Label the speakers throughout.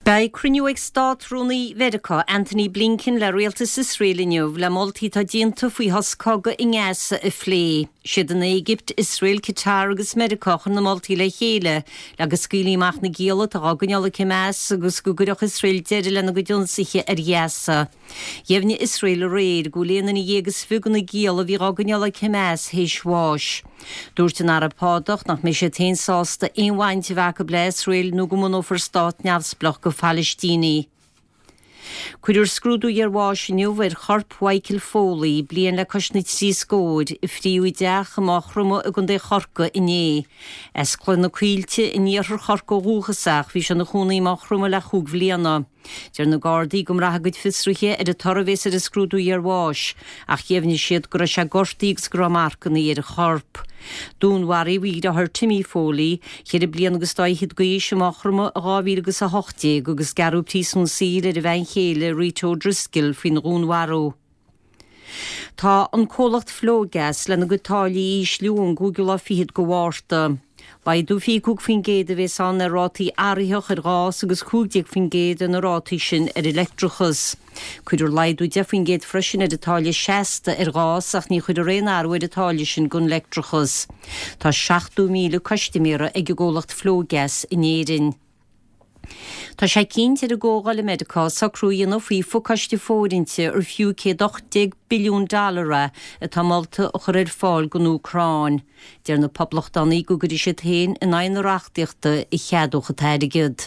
Speaker 1: Beidh cruinniú ag Státrúnaí Mheiriceá, Antony Blinken le rialtas Iosrael inniu le moltaí atá déanta faoi shos cogaidh i nGaza a phlé. Siad an Éigipt, Iosrael, Qatar agus Meiriceá a chuir na moltaí le chéile le go scaoilfí amach na gialla atá á gcoinneáil ag Hamas agus go gcuirfeadh Iosrael deireadh lena gcuid ionsaithe ar Ghaza. Dheimhnigh Iosrael aréir go bhfuil 11 duine de na gialla a bhí á gcoinneáil ag Hamas théis bháis. Dúirt an Araib Shádach nach mbeidh siad féin sásta aon bhaint a bheith acu le Iosrael nó go mbunófar stát neamhspleách go Phalaistínigh. Cuirfear scrúdú iarbháis inniu ar chorp Mhichael Foley, bliain le cois na dtrí scóir, a fríodh i dteach i Maigh Chromtha i gContae Chorcaí inné. As Cloich na Coillte in iarthar Chorcaí ó dhúchas ach bhí sé ina chónaí i Maigh Chromtha le chúig bhliana. Deir na Gardaí go mbraithfidh a gcuid fiosruithe ar an toradh a bhéas ar an scrúdú iarbháis, ach dheimhnigh siad go raibh sé gortaithe agus go raibh marcanna ar a chorp. Dúnmharaíodh a dheartháir Timmy Foley, cheithre bliana agus dá fhichead d'aois, i Maigh Chromtha i 2018 agus gearradh príosún saoil ar a bhean chéile Rita O'Driscoll faoina dhúnmharú. Tá an comhlacht Flogas lena gcuid táillí a ísliú ón gcúigiú lá fichead de Mhárta. Laghdú 25% a bhéas ann ar rátaí athraitheach ar ghás agus 15% ar na rátaí sin ar an leictreachas. Cuirfear laghdú 10% freisin ar an táille seasta ar ghás ach ní chuirfear aon athrú ar an táille sin don leictreachas. Tá 70,000 custaiméara ag an gcomhlacht Flogas in Éirinn. Tá sé cinnte ar an gComhdháil i Meiriceá socrú a dhéanamh faoi phacáiste fóirithinte ar fiú 118 billiún dollar é atá molta a chur ar fáil don Úcráin. Deir na Poblachtánaigh go gcuirfidh siad féin in aghaidh na reachtaíochta a cheadódh an t-airgead.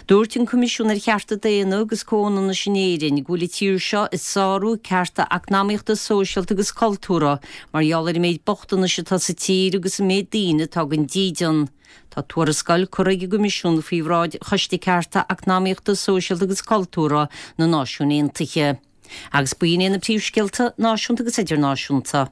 Speaker 1: Dúirt an Coimisiún ar Chearta Daonna agus Comhionannais in Éirinn go bhfuil an tír seo ag sárú cearta eacnamaíochta, sóisialta agus cultúrtha mar gheall ar an méid bochtanais atá sa tír agus an méid daoine atá gan dídean. Tá tuarascáil curtha ag an gCoimisiún faoi bhráid Choiste Cearta Eacnamaíochta, Sóisialta agus Cultúrtha na Náisiún Aontaithe. Agus b'in iad na príomhscéalta náisiúnta agus idirnáisiúnta.